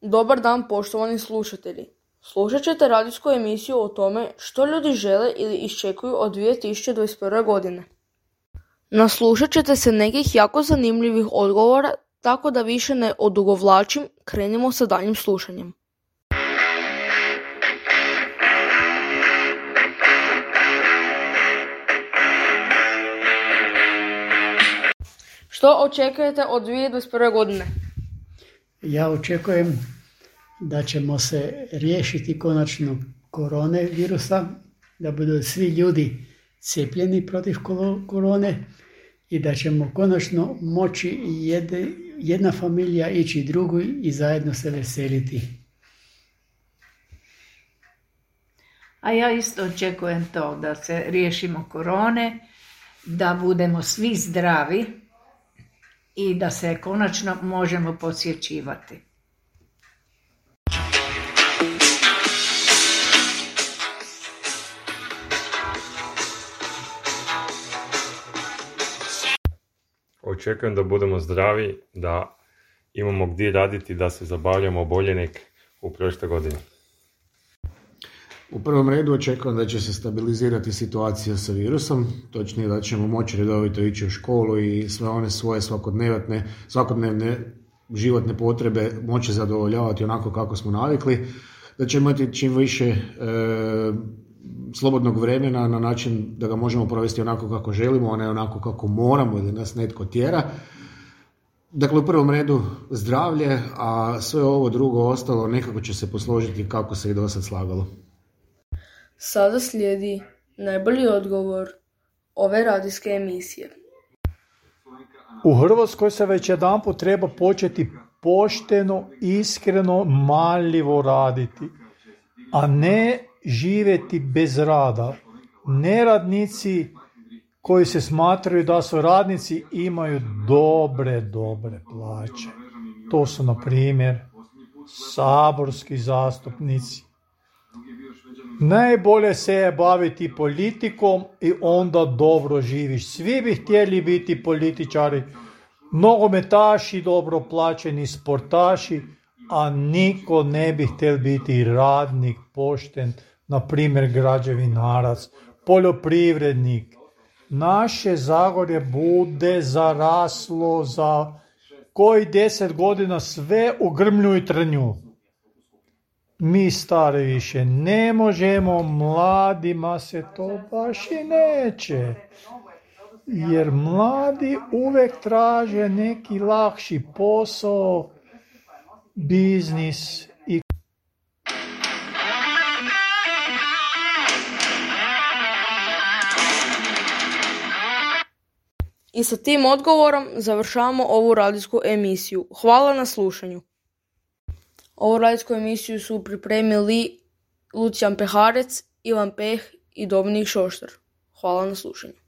Dobar dan, poštovani slušatelji. Slušat ćete radijsku emisiju o tome što ljudi žele ili iščekuju od 2021. godine. Naslušat ćete se nekih jako zanimljivih odgovora, tako da više ne odugovlačim, krenimo sa daljnjim slušanjem. Što očekujete od 2021. godine? Ja očekujem da ćemo se riješiti konačno korone virusa, da budu svi ljudi cijepljeni protiv korone i da ćemo konačno moći jedna familija ići drugu i zajedno se veseliti. A ja isto očekujem to, da se riješimo korone, da budemo svi zdravi i da se konačno možemo posjećivati. Očekujem da budemo zdravi, da imamo gdje raditi, da se zabavljamo bolje nek u prošle godine. U prvom redu očekujem da će se stabilizirati situacija sa virusom, točnije da ćemo moći redovito ići u školu i sve one svoje svakodnevne životne potrebe moći zadovoljavati onako kako smo navikli, da ćemo imati čim više slobodnog vremena na način da ga možemo provesti onako kako želimo, a ne onako kako moramo ili nas netko tjera. Dakle, u prvom redu zdravlje, a sve ovo drugo ostalo nekako će se posložiti kako se i do sad slagalo. Sada slijedi najbolji odgovor ove radijske emisije. U Hrvatskoj se već jedanput treba početi pošteno, iskreno, marljivo raditi, a ne živjeti bez rada. Neradnici koji se smatraju da su radnici imaju dobre plaće. To su, na primjer, saborski zastupnici. Najbolje se je baviti politikom i onda dobro živiš. Svi bi htjeli biti političari, nogometaši, dobro plaćeni sportaši, a niko ne bi htjel biti radnik, pošten, na primjer građevinarac, poljoprivrednik. Naše Zagorje bude zaraslo za koji 10 godina sve u grmlju i trnju. Mi stari više ne možemo, mladima se to baš i neće. Jer mladi uvijek traže neki lakši posao, biznis i... I sa tim odgovorom završavamo ovu radijsku emisiju. Hvala na slušanju. Ovu radijsku emisiju su pripremili Lucijan Peharec, Ivan Peh i Dominik Šoštar. Hvala na slušanju.